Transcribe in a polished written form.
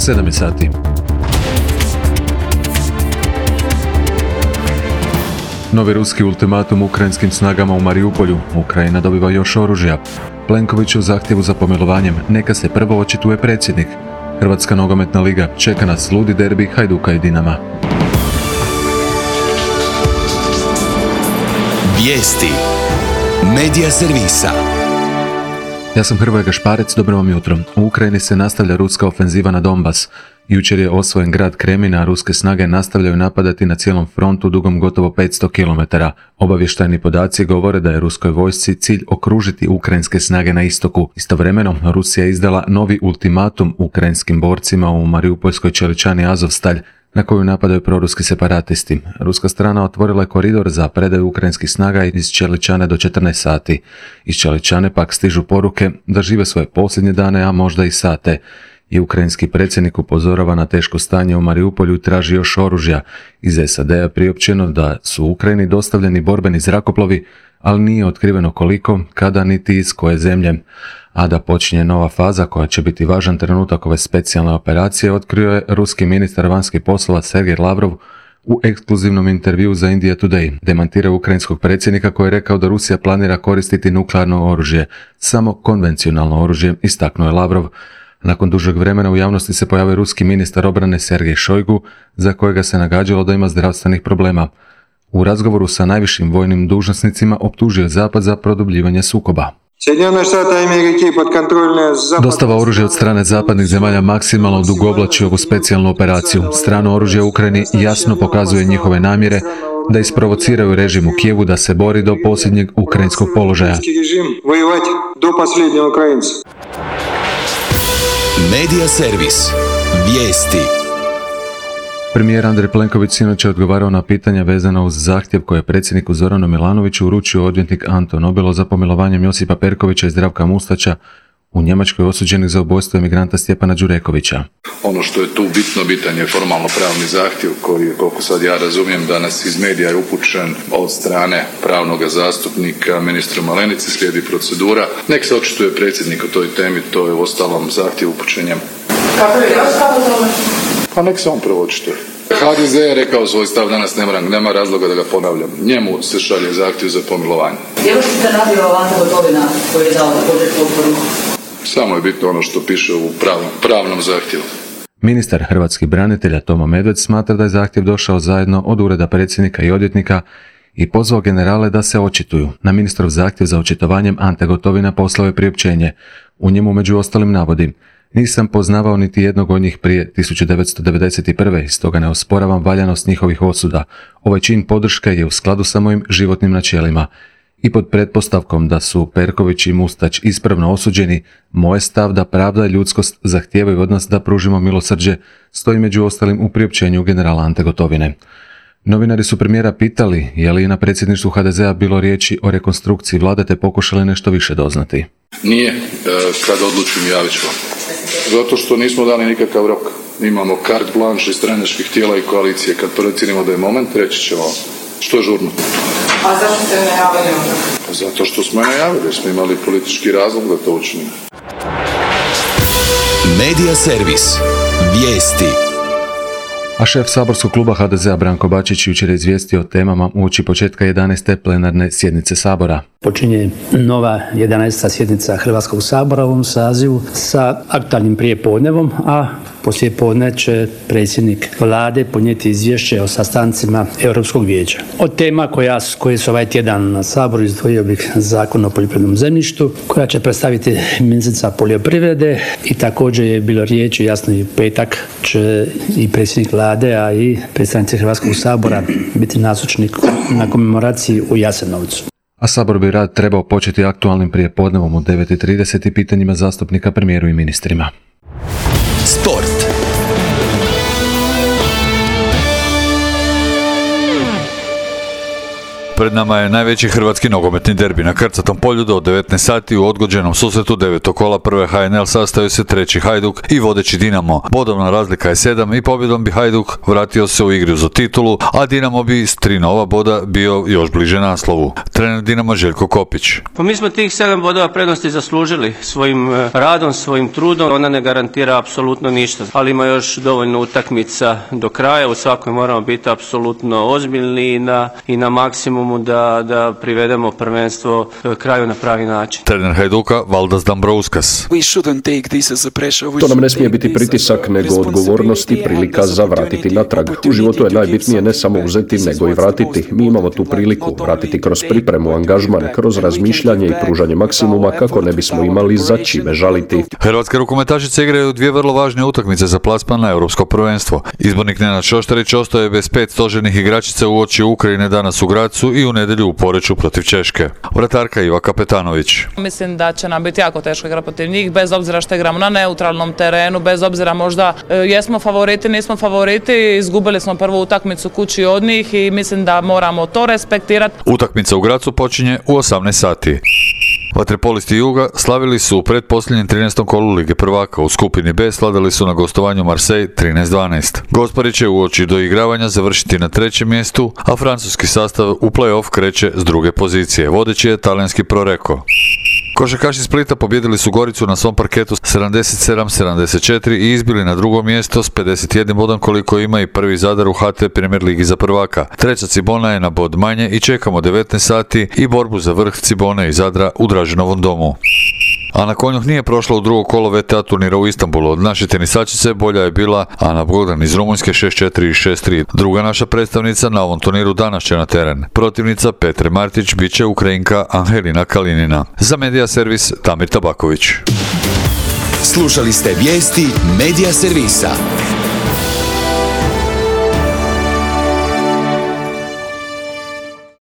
7 je sati. Novi ruski ultimatum ukrajinskim snagama u Mariupolju. Ukrajina dobiva još oružja. Plenkoviću zahtjevu za pomilovanjem. Neka se prvo očituje predsjednik. Hrvatska nogometna liga. Čeka nas ludi derbi Hajduka i Dinama. Vijesti Medija servisa. Ja sam Hrvoje Gašparec, dobro vam jutro. U Ukrajini se nastavlja ruska ofenziva na Donbas. Jučer je osvojen grad Kremin, a ruske snage nastavljaju napadati na cijelom frontu dugom gotovo 500 km. Obavještajni podaci govore da je ruskoj vojsci cilj okružiti ukrajinske snage na istoku. Istovremeno, Rusija je izdala novi ultimatum ukrajinskim borcima u Mariupoljskoj čeličani Azovstalj, na koju napadaju proruski separatisti. Ruska strana otvorila je koridor za predaju ukrajinskih snaga iz Čeličane do 14 sati. Iz Čeličane pak stižu poruke da žive svoje posljednje dane, a možda i sate. I ukrajinski predsjednik upozorava na teško stanje u Mariupolju i traži još oružja. Iz SAD-a priopćeno da su Ukrajini dostavljeni borbeni zrakoplovi, ali nije otkriveno koliko, kada niti iz koje zemlje. A da počinje nova faza koja će biti važan trenutak ove specijalne operacije, otkrio je ruski ministar vanjskih poslova Sergej Lavrov u ekskluzivnom intervjuu za India Today. Demantirao ukrajinskog predsjednika koji je rekao da Rusija planira koristiti nuklearno oružje, samo konvencionalno oružje, istaknuo je Lavrov. Nakon dužeg vremena u javnosti se pojavio ruski ministar obrane Sergej Šojgu, za kojega se nagađalo da ima zdravstvenih problema. U razgovoru sa najvišim vojnim dužnosnicima optužio Zapad za produbljivanje sukoba. Dostava oružja od strane zapadnih zemalja maksimalno odugovlači ovu specijalnu operaciju. Strano oružje u Ukrajini jasno pokazuje njihove namjere da isprovociraju režim u Kijevu da se bori do posljednjeg ukrajinskog položaja. Medija servis. Vijesti. Premijer Andrej Plenković sinoć je odgovarao na pitanja vezana uz zahtjev koje je predsjedniku Zoranu Milanoviću uručio odvjetnik Anton Obilo za pomilovanjem Josipa Perkovića i Zdravka Mustača, u Njemačkoj osuđenih za ubojstvo emigranta Stjepana Đurekovića. Ono što je tu bitan je formalno pravni zahtjev koji je, koliko sad ja razumijem, danas iz medija je upućen od strane pravnog zastupnika ministru Malenici, slijedi procedura. Nek se očituje predsjednik o toj temi, to je uostalom zahtjev upućenjem. Kako je tome? Pa nek se on prvo očituje. HDZ je rekao svoj stav danas, nema razloga da ga ponavljam. Njemu se šalje zahtjev za pomilovanje. Je li se radio Ante Gotovina koji je dao također potporu? Samo je bitno ono što piše u pravnom zahtjevu. Ministar hrvatskih branitelja Tomo Medved smatra da je zahtjev došao zajedno od ureda predsjednika i odvjetnika i pozvao generale da se očituju. Na ministrov zahtjev za očitovanjem Ante Gotovina poslao je priopćenje. U njemu među ostalim navodi: nisam poznavao niti jednog od njih prije 1991. Stoga ne osporavam valjanost njihovih osuda. Ovaj čin podrške je u skladu sa mojim životnim načelima. I pod pretpostavkom da su Perković i Mustač ispravno osuđeni, moj stav da pravda i ljudskost zahtijevaju od nas da pružimo milosrđe stoji među ostalim u priopćenju generala Ante Gotovine. Novinari su premijera pitali je li na predsjedništvu HDZ-a bilo riječi o rekonstrukciji vlade te pokušali nešto više doznati. Nije, kad odlučim javit ću vam. Zato što nismo dali nikakav rok. Imamo carte blanche iz stranačkih tijela i koalicije. Kad procijenimo da je moment, reći ćemo što je žurno. A zašto ste najavili onda? Zato što smo najavili, smo imali politički razlog da to učinimo. Medija servis. Vijesti. A šef saborskog kluba HDZ-a Branko Bačić jučer je izvijestio o temama uoči početka 11. plenarne sjednice Sabora. Počinje nova 11. sjednica Hrvatskog sabora u ovom sazivu sa aktualnim prijepodnevom, a poslijepodne će predsjednik vlade podnijeti izvješće o sastancima Europskog vijeća. Od tema koje su ovaj tjedan na Saboru izdvojio bih Zakon o poljoprivrednom zemljištu, koja će predstaviti ministrica poljoprivrede, i također je bilo riječi, jasno i petak će i predsjednik vlade, a i predstavnici Hrvatskog sabora biti nazočni na komemoraciji u Jasenovcu. A Sabor bi rad trebao početi aktualnim prijepodnevom u 9:30 i pitanjima zastupnika premijeru i ministrima. Sport. Pred nama je najveći hrvatski nogometni derbi. Na Krcatom polju do 19 sati u odgođenom susretu 9. kola prve HNL sastaju se treći Hajduk i vodeći Dinamo. Bodovna razlika je 7 i pobjedom bi Hajduk vratio se u igru za titulu, a Dinamo bi s 3 nova boda bio još bliže naslovu. Trener Dinamo Željko Kopić. Pa mi smo tih 7 bodova prednosti zaslužili svojim radom, svojim trudom. Ona ne garantira apsolutno ništa, ali ima još dovoljno utakmica do kraja. U svakoj moramo biti apsolutno ozbiljni i na maksimumu da privedemo prvenstvo kraju na pravi način. Trener Hajduka Valdas Dambrauskas. To nam ne smije biti pritisak, nego odgovornost i prilika za vratiti natrag. U životu je najbitnije ne samo uzeti, nego i vratiti. Mi imamo tu priliku vratiti kroz pripremu, angažman, kroz razmišljanje i pružanje maksimuma kako ne bismo imali za čime žaliti. Hrvatske rukometašice igraju 2 vrlo važne utakmice za plasman na europsko prvenstvo. Izbornik Nenad Šoštarić ostaje bez 5 stožernih igračica uoči Ukrajine danas u Gracu i u nedjelju u Poreču protiv Češke. Vratarka Iva Kapetanović. Mislim da će nam biti jako teško igrati protiv njih, bez obzira što igramo na neutralnom terenu, bez obzira možda jesmo favoriti, nismo favoriti, izgubili smo prvu utakmicu kući od njih i mislim da moramo to respektirati. Utakmica u Gracu počinje u 18 sati. Vaterpolisti Juga slavili su u pretposljednjem 13. kolu Lige prvaka. U skupini B sladali su na gostovanju Marseille 13-12. Gospari će uoči doigravanja završiti na 3. mjestu, a francuski sastav u play-off kreće s 2. pozicije. Vodeći je talijanski Proreko. Košarkaši Splita pobjedili su Goricu na svom parketu 77-74 i izbili na 2. mjesto s 51 bodom koliko ima i prvi Zadar u HT Premier ligi za prvaka. Treća Cibona je na bod manje i čekamo 19 sati i borbu za vrh Cibone i Zadra u Draženovom domu. Ana Konjuh nije prošla u drugo kolo VTA turnira u Istanbulu. Od naše tenisačice bolja je bila Ana Bogdan iz Rumunjske 6-4 i 6-3. Druga naša predstavnica na ovom turniru danas će na teren. Protivnica Petre Martić bit će Ukrajinka Angelina Kalinina. Za Medija Servis Damir Tabaković. Slušali ste vijesti Medija Servisa.